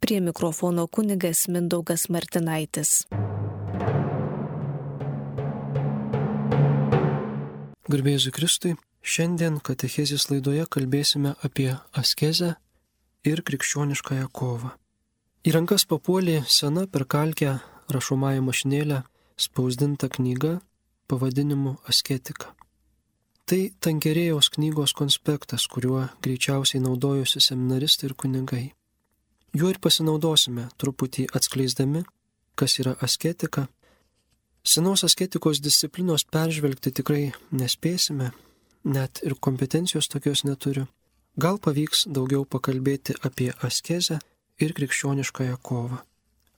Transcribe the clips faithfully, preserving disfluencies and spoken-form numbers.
Prie mikrofono kunigas Mindaugas Martinaitis. Garbė Jėzui Kristui, šiandien katechezės laidoje kalbėsime apie askezę ir krikščioniškąją kovą. Į rankas papuolė sena per kalkę rašomąją mašinėlę spausdinta knyga pavadinimu Asketika. Tai Tankerėjaus knygos konspektas, kuriuo greičiausiai naudojosi seminaristai ir kunigai. Juo ir pasinaudosime, truputį atskleisdami, kas yra asketika. Senos asketikos disciplinos peržvelgti tikrai nespėsime, net ir kompetencijos tokios neturiu. Gal pavyks daugiau pakalbėti apie askezę ir krikščioniškąją kovą.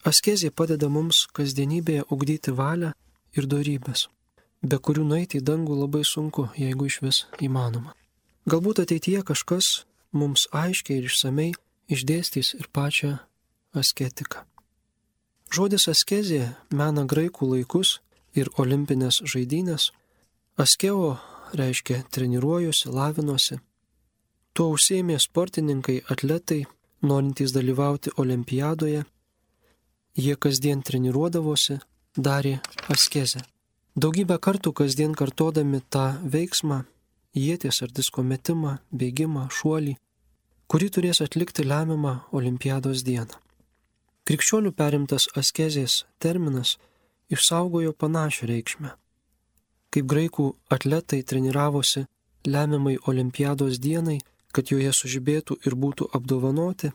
Askezė padeda mums kasdienybėje ugdyti valią ir dorybes, be kurių nueiti į dangų labai sunku, jeigu iš vis įmanoma. Galbūt ateityje kažkas mums aiškiai ir išsamei išdėstys ir pačią asketiką. Žodis askezė mena graikų laikus ir olimpinės žaidynės. Askeo reiškia treniruojuosi, lavinosi. Tuo užsiėmė sportininkai, atletai, norintys dalyvauti olimpiadoje. Jie kasdien treniruodavosi, darė askezę. Daugybę kartų kasdien kartodami tą veiksmą, ieties ar disko metimą, bėgimą, šuolį, kurį turės atlikti lemiamą olimpiados dieną. Krikščionių perimtas askezės terminas išsaugojo panašią reikšmę. Kaip graikų atletai treniravosi lemiamai olimpiados dienai, kad joje sužibėtų ir būtų apdovanoti,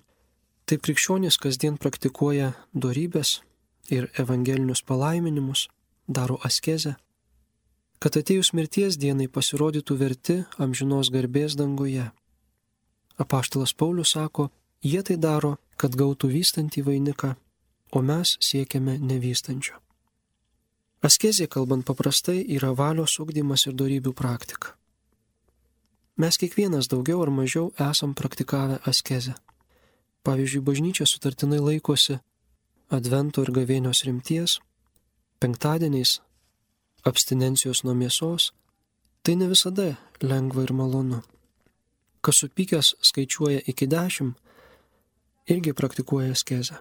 taip krikščionys kasdien praktikuoja dorybes ir evangelinius palaiminimus, daro askezę, kad atėjus mirties dienai pasirodytų verti amžinos garbės danguje. Apaštalas Paulius sako, jie tai daro, kad gautų vystantį vainiką, o mes siekiame nevystančio. Askezė, kalbant paprastai, yra valios ugdymas ir dorybių praktika. Mes kiekvienas daugiau ar mažiau esam praktikavę askezę. Pavyzdžiui, bažnyčia sutartinai laikosi advento ir gavėnios rimties, penktadieniais abstinencijos nuo mėsos. Tai ne visada lengva ir malonu. Kas supykęs skaičiuoja iki dešimt, irgi praktikuoja askezę.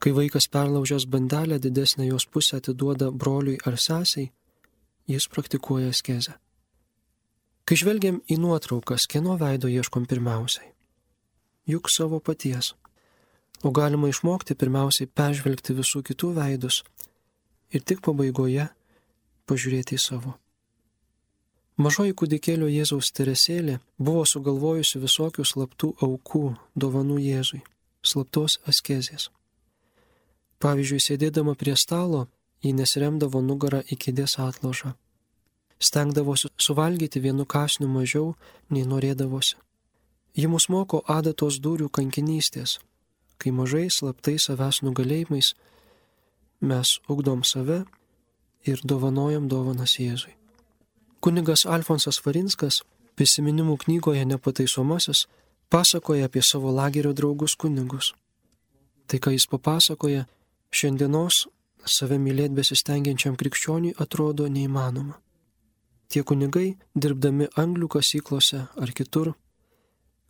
Kai vaikas perlaužęs bandelę didesnę jos pusę atiduoda broliui ar sesiai, jis praktikuoja askezę. Kai žvelgiam į nuotraukas, kieno veido ieškom pirmiausiai? Juk savo paties. O galima išmokti pirmiausiai peržvelgti visų kitų veidus ir tik pabaigoje pažiūrėti į savo. Mažoji kūdikėlio Jėzaus Teresėlė buvo sugalvojusi visokių slaptų aukų, dovanų Jėzui, slaptos askezės. Pavyzdžiui, sėdėdama prie stalo, ji nesiremdavo nugarą į kėdės atlošą. Stengdavosi suvalgyti vienu kąsniu mažiau, nei norėdavosi. Ji mus moko adatos dūrių kankinystės, kai mažai slaptai savęs nugalėjimais mes ugdom save ir dovanojam dovanas Jėzui. Kunigas Alfonsas Varinskas prisiminimų knygoje Nepataisomasis pasakoja apie savo lagerio draugus kunigus. Tai, ką jis papasakoja, šiandienos save mylėt besistengiančiam krikščioniui atrodo neįmanoma. Tie kunigai, dirbdami anglių kasyklose ar kitur,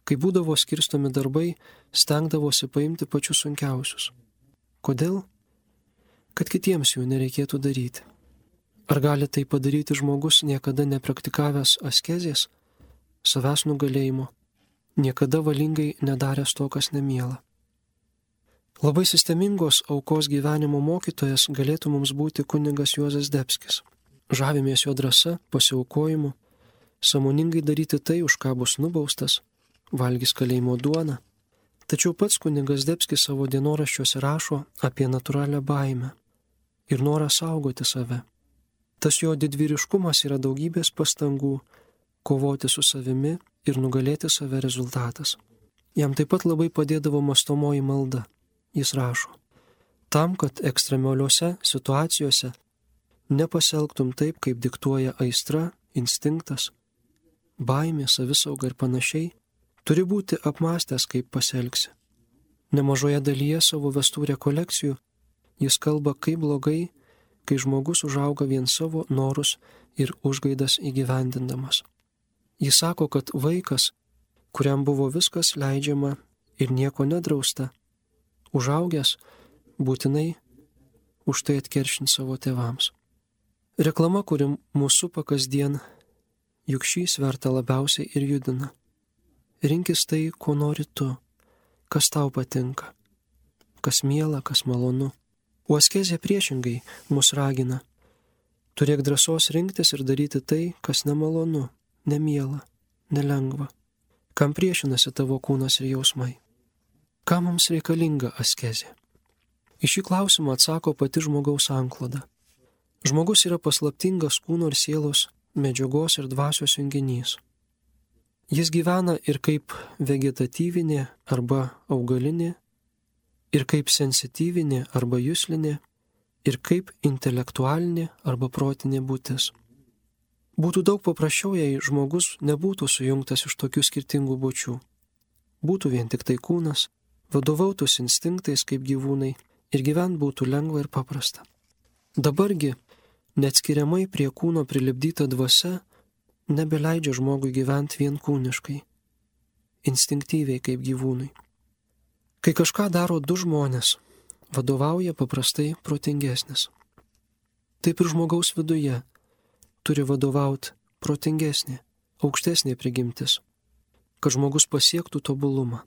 kai būdavo skirstomi darbai, stengdavosi paimti pačius sunkiausius. Kodėl? Kad kitiems jų nereikėtų daryti. Ar gali tai padaryti žmogus niekada nepraktikavęs askezės, savęs nugalėjimo, niekada valingai nedaręs to, kas nemiela? Labai sistemingos aukos gyvenimo mokytojas galėtų mums būti kunigas Juozas Zdebskis. Žavimės jo drąsa, pasiaukojimu, sąmoningai daryti tai, už ką bus nubaustas, valgys kalėjimo duoną. Tačiau pats kunigas Zdebskis savo dienoraščiuose rašo apie natūralią baimę ir norą saugoti save. Tas jo didvyriškumas yra daugybės pastangų kovoti su savimi ir nugalėti save rezultatas. Jam taip pat labai padėdavo mąstomoji malda. Jis rašo, tam, kad ekstremaliuose situacijose nepasielgtum taip, kaip diktuoja aistra, instinktas, baimė, savisauga ir panašiai, turi būti apmąstęs, kaip pasielgsi. Nemažoje dalyje savo vestų rekolekcijų jis kalba, kaip blogai, kai žmogus užauga vien savo norus ir užgaidas įgyvendindamas. Jis sako, kad vaikas, kuriam buvo viskas leidžiama ir nieko nedrausta, užaugęs būtinai už tai atkeršint savo tėvams. Reklama, kuri mūsų supa kasdien, juk šį svertą labiausiai ir judina. Rinkis tai, ko nori tu, kas tau patinka, kas miela, kas malonu. O askezė priešingai mus ragina. Turėk drąsos rinktis ir daryti tai, kas nemalonu, nemiela, nelengva, kam priešinasi tavo kūnas ir jausmai. Kam mums reikalinga askezė? Į šį klausimą atsako pati žmogaus sankloda. Žmogus yra paslaptingas kūno ir sielos, medžiagos ir dvasios junginys. Jis gyvena ir kaip vegetatyvinė arba augalinė, ir kaip sensityvinė arba juslinė, ir kaip intelektualinė arba protinė būtis. Būtų daug paprasčiau, jei žmogus nebūtų sujungtas iš tokių skirtingų būčių. Būtų vien tik tai kūnas, vadovautųsi instinktais kaip gyvūnai ir gyvent būtų lengva ir paprasta. Dabargi, neatskiriamai prie kūno prilipdyta dvasia nebeleidžia žmogui gyventi vien kūniškai, instinktyviai kaip gyvūnui. Kai kažką daro du žmonės, vadovauja paprastai protingesnis. Taip ir žmogaus viduje turi vadovauti protingesnė, aukštesnė prigimtis, kad žmogus pasiektų tobulumą.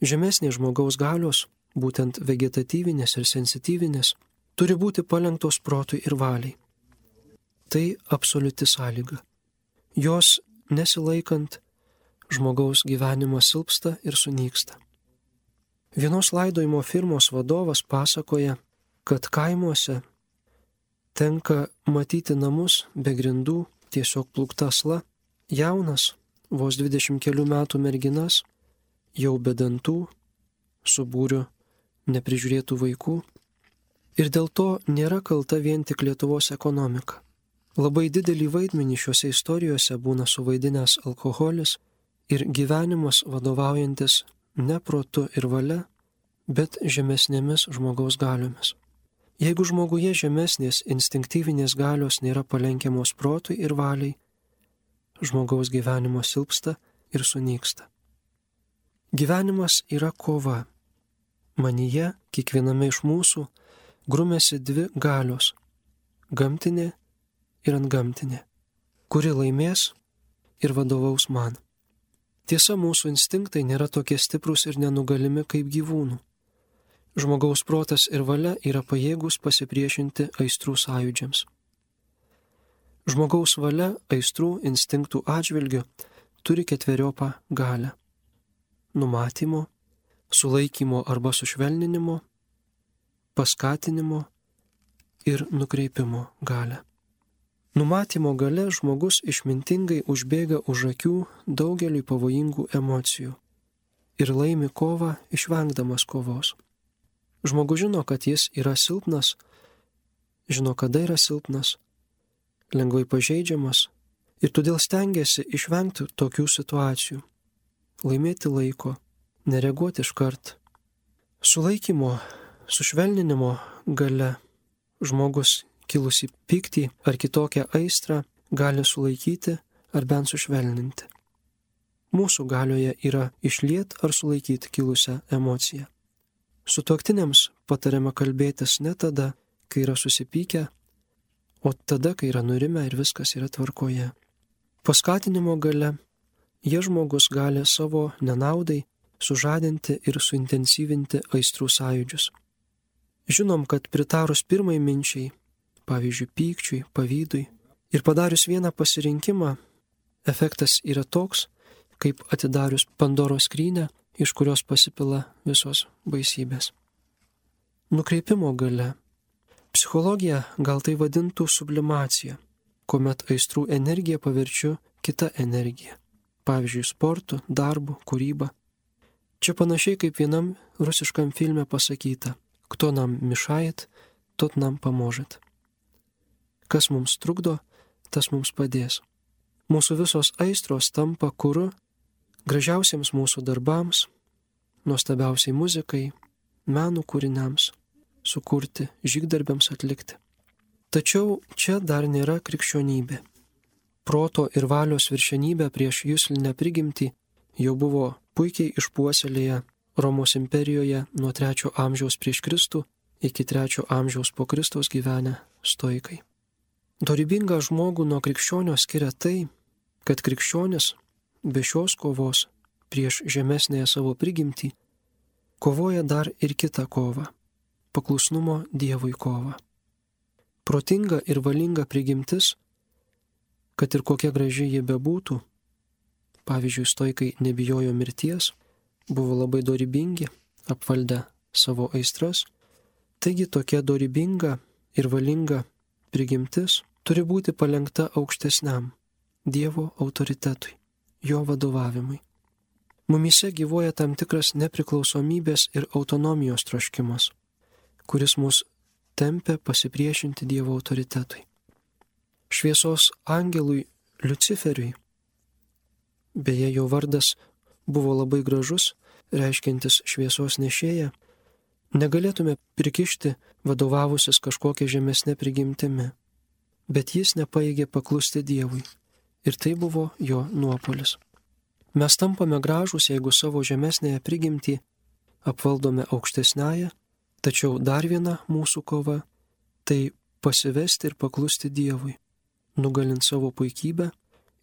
Žemesnė žmogaus galios, būtent vegetatyvinės ir sensityvinės, turi būti palenktos protui ir valiai. Tai absoliuti sąlyga. Jos nesilaikant, žmogaus gyvenimas silpsta ir sunyksta. Vienos laidojimo firmos vadovas pasakoja, kad kaimuose tenka matyti namus be grindų, tiesiog plūkta asla, jaunas, vos dvidešimt kelių metų merginas, jau be dantų, su būriu neprižiūrėtų vaikų. Ir dėl to nėra kalta vien tik Lietuvos ekonomika. Labai didelį vaidmenį šiuose istorijose būna suvaidinęs alkoholis ir gyvenimas vadovaujantis ne protu ir valia, bet žemesnėmis žmogaus galiomis. Jeigu žmoguje žemesnės instinktyvinės galios nėra palenkiamos protui ir valiai, žmogaus gyvenimo silpsta ir sunyksta. Gyvenimas yra kova. Manyje, kiekviename iš mūsų, grumėsi dvi galios - gamtinė ir antgamtinė, kuri laimės ir vadovaus man. Tiesa, mūsų instinktai nėra tokie stiprūs ir nenugalimi kaip gyvūnų. Žmogaus protas ir valia yra pajėgus pasipriešinti aistrų sąjūdžiams. Žmogaus valia aistrų instinktų atžvilgiu turi ketveriopą galią - numatymo, sulaikymo arba sušvelninimo, paskatinimo ir nukreipimo galią. Numatymo gale žmogus išmintingai užbėga už akių daugeliui pavojingų emocijų ir laimi kovą išvengdamas kovos. Žmogus žino, kad jis yra silpnas, žino, kada yra silpnas, lengvai pažeidžiamas ir todėl stengiasi išvengti tokių situacijų, laimėti laiko, nereaguoti iškart. Sulaikymo, sušvelninimo gale žmogus kilusi pyktį ar kitokią aistrą gali sulaikyti ar bent sušvelninti. Mūsų galioje yra išliet ar sulaikyti kilusią emociją. Sutuoktiniams patariama kalbėtis ne tada, kai yra susipykę, o tada, kai yra nurimę ir viskas yra tvarkoje. Paskatinimo gale jie žmogus gali savo nenaudai sužadinti ir suintensyvinti aistrų sąjūdžius. Žinom, kad pritarus pirmai minčiai, pavyzdžiui, pykčiui, pavydui, ir padarius vieną pasirinkimą, efektas yra toks, kaip atidarius Pandoros skrynią, iš kurios pasipila visos baisybės. Nukreipimo gale. Psichologija gal tai vadintų sublimacija, kuomet aistrų energiją paverčiu kitą energiją, pavyzdžiui, sportu, darbu, kūryba. Čia panašiai kaip vienam rusiškam filme pasakyta, kto nam mišajat, tot nam pamožet. Kas mums trukdo, tas mums padės. Mūsų visos aistros tampa kuru gražiausiems mūsų darbams, nuostabiausiai muzikai, menų kūriniams sukurti, žygdarbiams atlikti. Tačiau čia dar nėra krikščionybė. Proto ir valios viršenybė prieš juslinę prigimtį jau buvo puikiai išpuoselėję Romos imperijoje nuo trečio amžiaus prieš Kristų iki trečio amžiaus po Kristaus gyvenę stoikai. Dorybingą žmogų nuo krikščionio skiria tai, kad krikščionis be šios kovos prieš žemesnėje savo prigimtį kovoja dar ir kitą kovą – paklusnumo Dievui kovą. Protinga ir valinga prigimtis, kad ir kokia graži ji bebūtų, pavyzdžiui, stoikai nebijojo mirties, buvo labai dorybingi, apvaldę savo aistras, taigi tokia dorybinga ir valinga prigimtis turi būti palenkta aukštesniam Dievo autoritetui, jo vadovavimui. Mumyse gyvuoja tam tikras nepriklausomybės ir autonomijos troškimas, kuris mus tempia pasipriešinti Dievo autoritetui. Šviesos angelui Liuciferiui, beje, jo vardas buvo labai gražus, reiškiantis šviesos nešėją, negalėtume prikišti vadovavusis kažkokia žemesnė prigimtimi, bet jis nepaėgė paklusti Dievui ir tai buvo jo nuopolis. Mes tampame gražūs, jeigu savo žemesnėje prigimtį apvaldome aukštesnąją, tačiau dar viena mūsų kova – tai pasivesti ir paklusti Dievui, nugalint savo puikybę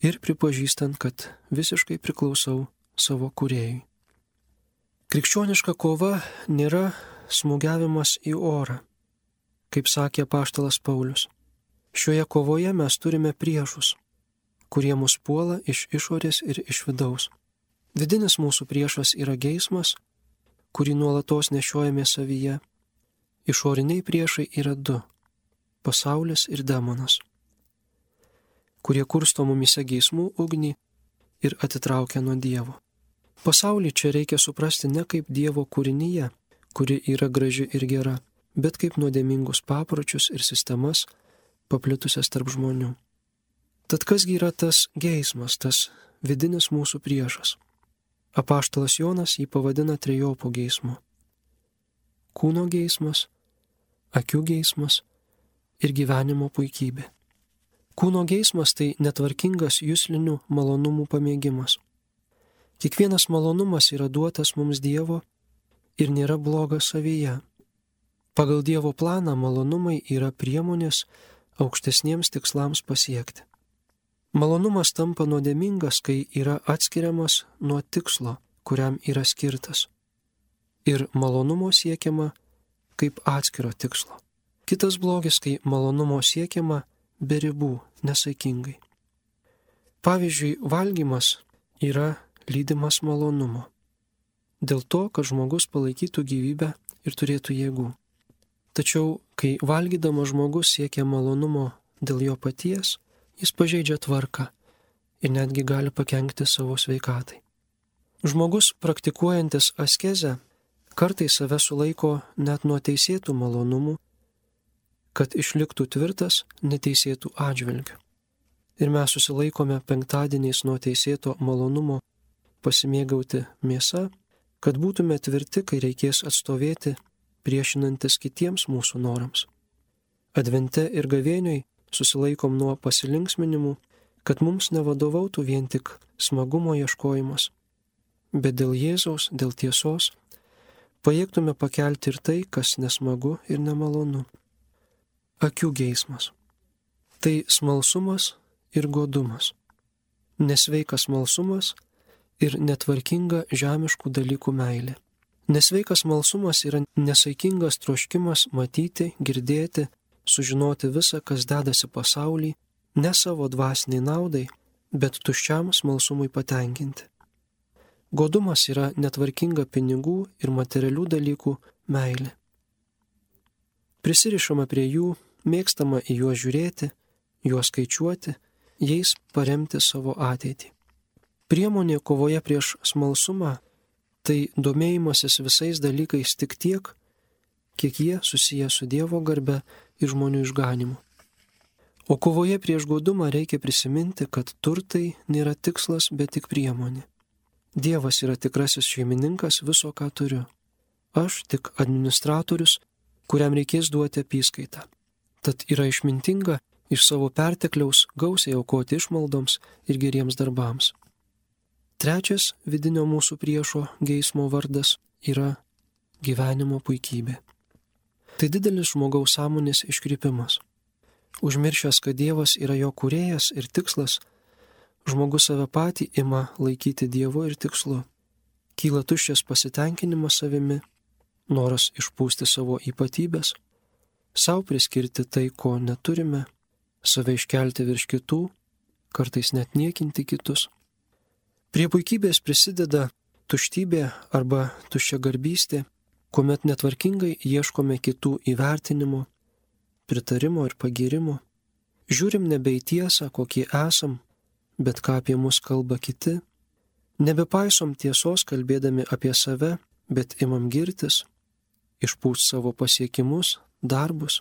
ir pripažįstant, kad visiškai priklausau savo kūrėjui. Krikščioniška kova nėra smūgiavimas į orą, kaip sakė apaštalas Paulius. Šioje kovoje mes turime priešus, kurie mus puola iš išorės ir iš vidaus. Vidinis mūsų priešas yra geismas, kurį nuolatos nešiojame savyje. Išoriniai priešai yra du – pasaulis ir demonas, kurie kursto mumyse geismų ugnį ir atitraukia nuo Dievo. Pasaulį čia reikia suprasti ne kaip Dievo kūrinyje, kuri yra graži ir gera, bet kaip nuodėmingus papročius ir sistemas paplitusias tarp žmonių. Tad kasgi yra tas geismas, tas vidinis mūsų priešas? Apaštalas Jonas jį pavadina trejopų geismu. Kūno geismas, akių geismas ir gyvenimo puikybė. Kūno geismas tai netvarkingas juslinių malonumų pamėgimas. Kiekvienas malonumas yra duotas mums Dievo ir nėra blogas savyje. Pagal Dievo planą malonumai yra priemonės aukštesniems tikslams pasiekti. Malonumas tampa nuodėmingas, kai yra atskiriamas nuo tikslo, kuriam yra skirtas. Ir malonumo siekiama kaip atskiro tikslo. Kitas blogis, kai malonumo siekiama be ribų, nesaikingai. Pavyzdžiui, valgymas yra lydimas malonumo. Dėl to, kad žmogus palaikytų gyvybę ir turėtų jėgų. Tačiau, kai valgydamas žmogus siekia malonumo dėl jo paties, jis pažeidžia tvarką ir netgi gali pakenkti savo sveikatai. Žmogus praktikuojantis askezę kartais save sulaiko net nuo teisėtų malonumų, kad išliktų tvirtas neteisėtų atžvilgių. Ir mes susilaikome penktadieniais nuo teisėto malonumo pasimėgauti mėsa, kad būtume tvirti, kai reikės atstovėti priešinantis kitiems mūsų norams. Advente ir gavėnioj susilaikom nuo pasilinksminimų, kad mums nevadovautų vien tik smagumo ieškojimas, bet dėl Jėzaus, dėl tiesos, pajėgtume pakelti ir tai, kas nesmagu ir nemalonu. Akių geismas. Tai smalsumas ir godumas. Nesveikas smalsumas ir netvarkinga žemiškų dalykų meilė. Nesveikas smalsumas yra nesaikingas troškimas matyti, girdėti, sužinoti visą, kas dedasi pasauly, ne savo dvasiniai naudai, bet tuščiam smalsumui patenkinti. Godumas yra netvarkinga pinigų ir materialių dalykų meilė. Prisirišama prie jų, mėgstama į juos žiūrėti, juos skaičiuoti, jais paremti savo ateitį. Priemonė kovoje prieš smalsumą tai domėjimasis visais dalykais tik tiek, kiek jie susiję su Dievo garbe ir žmonių išganimu. O kovoje prieš godumą reikia prisiminti, kad turtai nėra tikslas, bet tik priemonė. Dievas yra tikrasis šeimininkas viso, ką turiu. Aš tik administratorius, kuriam reikės duoti apyskaitą. Tad yra išmintinga iš savo pertekliaus gausiai aukoti išmaldoms ir geriems darbams. Trečias vidinio mūsų priešo geismo vardas yra gyvenimo puikybė. Tai didelis žmogaus sąmonės iškrypimas. Užmiršęs, kad Dievas yra jo kūrėjas ir tikslas, žmogus save patį ima laikyti Dievu ir tikslu. Kyla tuščias pasitenkinimas savimi, noras išpūsti savo ypatybės, savo priskirti tai, ko neturime, save iškelti virš kitų, kartais net niekinti kitus. Prie puikybės prisideda tuštybė arba tuščiagarbystė, kuomet netvarkingai ieškome kitų įvertinimo, pritarimo ir pagyrimo. Žiūrim nebe į tiesą, kokie esam, bet ką apie mus kalba kiti. Nebepaisom tiesos kalbėdami apie save, bet imam girtis, išpūst savo pasiekimus, darbus.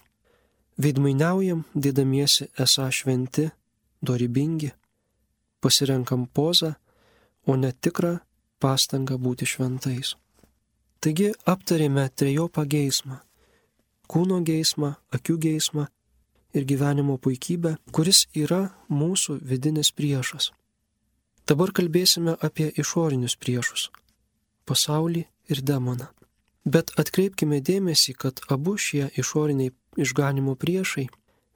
Veidmainiaujam, dėdamiesi esą šventi, dorybingi. Pasirenkam pozą, o ne tikrą pastangą būti šventais. Taigi aptarėme trejopą geismą – kūno geismą, akių geismą ir gyvenimo puikybę, kuris yra mūsų vidinis priešas. Dabar kalbėsime apie išorinius priešus – pasaulį ir demoną. Bet atkreipkime dėmesį, kad abu šie išoriniai išganimo priešai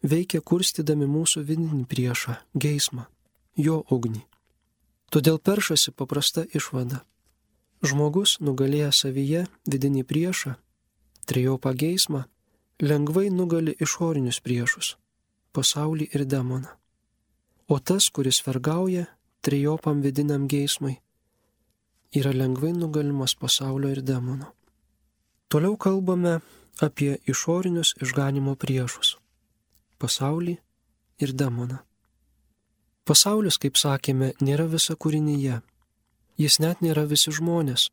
veikia kurstydami mūsų vidinį priešą – geismą, jo ugnį. Todėl peršasi paprasta išvada. Žmogus, nugalėjęs savyje vidinį priešą, trejopą geismą, lengvai nugali išorinius priešus – pasaulį ir demoną. O tas, kuris vergauja trejopam vidiniam geismai, yra lengvai nugalimas pasaulio ir demono. Toliau kalbame apie išorinius išganimo priešus – pasaulį ir demoną. Pasaulis, kaip sakėme, nėra visa kūrinyje. Jis net nėra visi žmonės,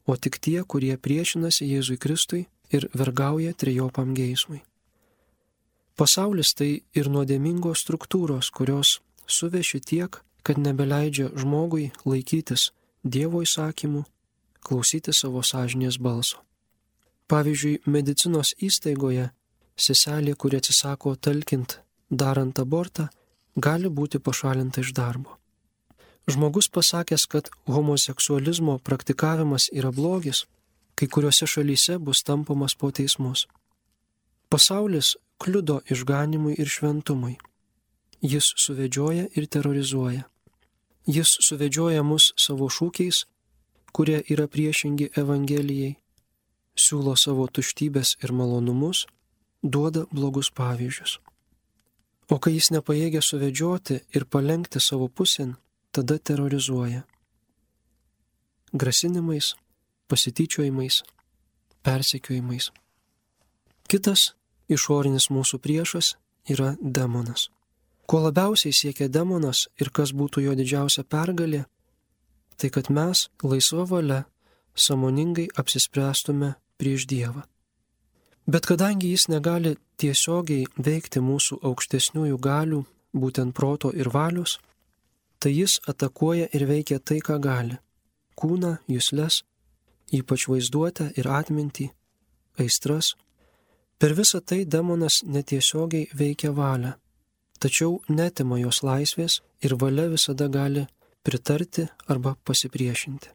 o tik tie, kurie priešinasi Jėzui Kristui ir vergauja trejopam geismui. Pasaulis tai ir nuodėmingos struktūros, kurios suveši tiek, kad nebeleidžia žmogui laikytis Dievo įsakymų, klausyti savo sąžinės balso. Pavyzdžiui, medicinos įstaigoje seselė, kuri atsisako talkint darant abortą, gali būti pašalinta iš darbo. Žmogus pasakęs, kad homoseksualizmo praktikavimas yra blogis, kai kuriuose šalyse bus tampomas po teismus. Pasaulis kliudo išganimui ir šventumui. Jis suvedžioja ir terrorizuoja. Jis suvedžioja mus savo šūkiais, kurie yra priešingi Evangelijai, siūlo savo tuštybės ir malonumus, duoda blogus pavyzdžius. O kai jis nepajėgia suvedžioti ir palenkti savo pusėn, tada terrorizuoja. Grasinimais, pasityčiojimais, persekiojimais. Kitas išorinis mūsų priešas yra demonas. Ko labiausiai siekia demonas ir kas būtų jo didžiausia pergalė, tai kad mes laisva valia sąmoningai apsispręstume prieš Dievą. Bet kadangi jis negali tiesiogiai veikti mūsų aukštesniųjų galių, būtent proto ir valios, tai jis atakuoja ir veikia tai, ką gali – kūną, jusles, ypač vaizduotę ir atmintį, aistras. Per visą tai demonas netiesiogiai veikia valią, tačiau netima jos laisvės ir valia visada gali pritarti arba pasipriešinti.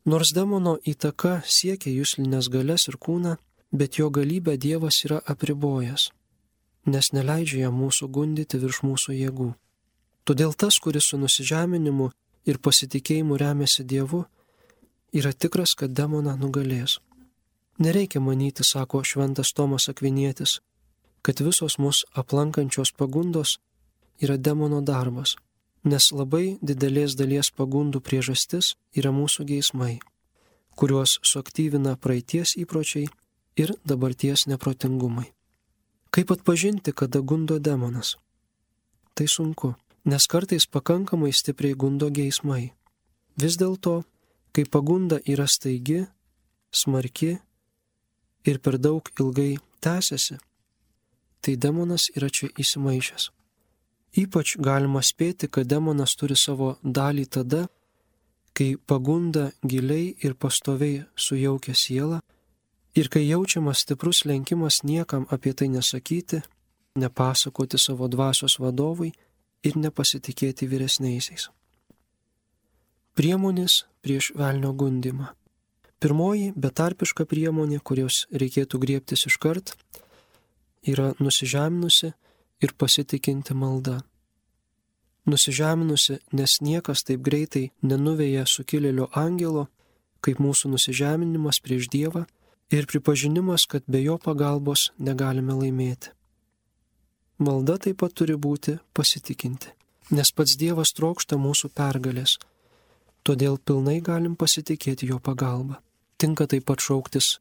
Nors demono įtaka siekia juslinės galias ir kūną, bet jo galybę Dievas yra apribojęs, nes neleidžia jam mūsų gundyti virš mūsų jėgų. Todėl tas, kuris su nusižeminimu ir pasitikėjimu remiasi Dievu, yra tikras, kad demoną nugalės. Nereikia manyti, sako šventas Tomas Akvinietis, kad visos mus aplankančios pagundos yra demono darbas, nes labai didelės dalies pagundų priežastis yra mūsų geismai, kuriuos suaktyvina praeities įpročiai ir dabarties neprotingumai. Kaip atpažinti, kada gundo demonas? Tai sunku, nes kartais pakankamai stipriai gundo geismai. Vis dėlto, kai pagunda yra staigi, smarki ir per daug ilgai tęsiasi, tai demonas yra čia įsimaišęs. Ypač galima spėti, kad demonas turi savo dalį tada, kai pagunda giliai ir pastoviai sujaukia sielą ir kai jaučiamas stiprus lenkimas niekam apie tai nesakyti, nepasakoti savo dvasios vadovui ir nepasitikėti vyresniaisiais. Priemonės prieš velnio gundymą. Pirmoji betarpiška priemonė, kurios reikėtų griebtis iškart, yra nusižeminusi ir pasitikinti malda. Nusižeminusi, nes niekas taip greitai nenuveja sukilėlio angelo, kaip mūsų nusižeminimas prieš Dievą ir pripažinimas, kad be jo pagalbos negalime laimėti. Malda taip pat turi būti pasitikinti, nes pats Dievas trokšta mūsų pergalės, todėl pilnai galim pasitikėti jo pagalba. Tinka taip pat šauktis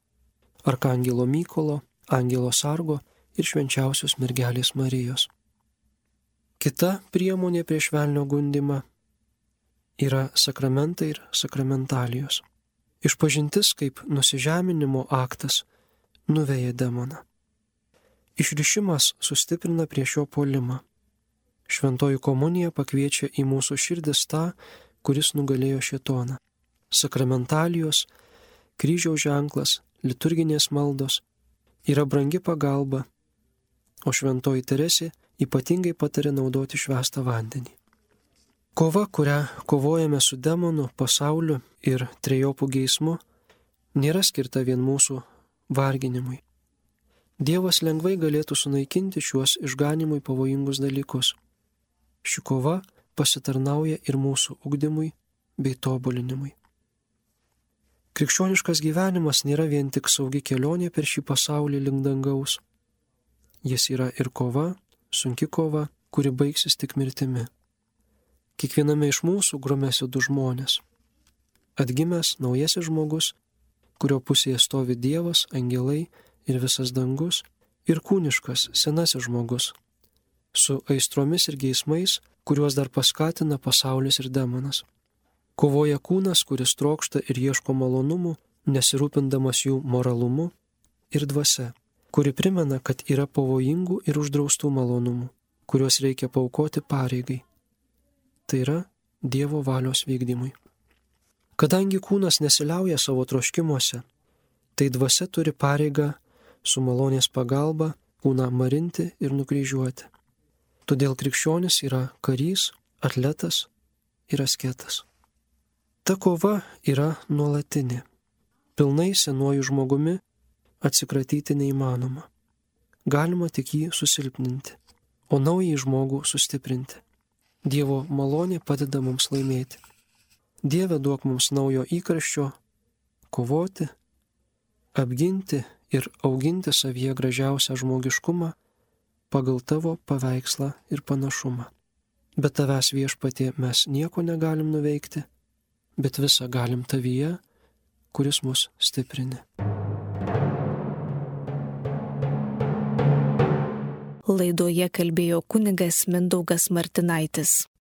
arkangelo Mykolo, angelo Sargo ir švenčiausios mergelės Marijos. Kita priemonė prieš velnio gundymą yra sakramentai ir sakramentalijos. Išpažintis kaip nusižeminimo aktas nuveja demoną. Išrišimas sustiprina prieš jo puolimą. Šventoji komunija pakviečia į mūsų širdis tą, kuris nugalėjo šėtoną. Sakramentalijos, kryžiaus ženklas, liturginės maldos yra brangi pagalba, o šventoji Teresė ypatingai patarė naudoti švęstą vandenį. Kova, kurią kovojame su demonu, pasauliu ir trejopų geismu, nėra skirta vien mūsų varginimui. Dievas lengvai galėtų sunaikinti šiuos išganimui pavojingus dalykus. Ši kova pasitarnauja ir mūsų ugdymui bei tobulinimui. Krikščioniškas gyvenimas nėra vien tik saugi kelionė per šį pasaulį link dangaus. Jis yra ir kova, sunki kova, kuri baigsis tik mirtimi. Kiekviename iš mūsų grumėsi du žmonės. Atgimęs naujasis žmogus, kurio pusėje stovi Dievas, angelai ir visas dangus, ir kūniškas senasis žmogus, su aistromis ir geismais, kuriuos dar paskatina pasaulis ir demonas. Kovoja kūnas, kuris trokšta ir ieško malonumų, nesirūpindamas jų moralumu, ir dvasia, kuri primena, kad yra pavojingų ir uždraustų malonumų, kuriuos reikia paaukoti pareigai. Tai yra Dievo valios vykdymui. Kadangi kūnas nesiliauja savo troškimuose, tai dvasia turi pareigą su malonės pagalba kūną marinti ir nukryžiuoti. Todėl krikščionis yra karys, atletas ir asketas. Ta kova yra nuolatinė. Pilnai senuoju žmogumi atsikratyti neįmanoma. Galima tik jį susilpninti, o naująjį žmogų sustiprinti. Dievo malonė padeda mums laimėti. Dieve, duok mums naujo įkarščio kovoti, apginti ir auginti savyje gražiausią žmogiškumą pagal tavo paveikslą ir panašumą. Be tavęs, Viešpatie, mes nieko negalim nuveikti, bet visą galim tavyje, kuris mus stiprini. Laidoje kalbėjo kunigas Mindaugas Martinaitis.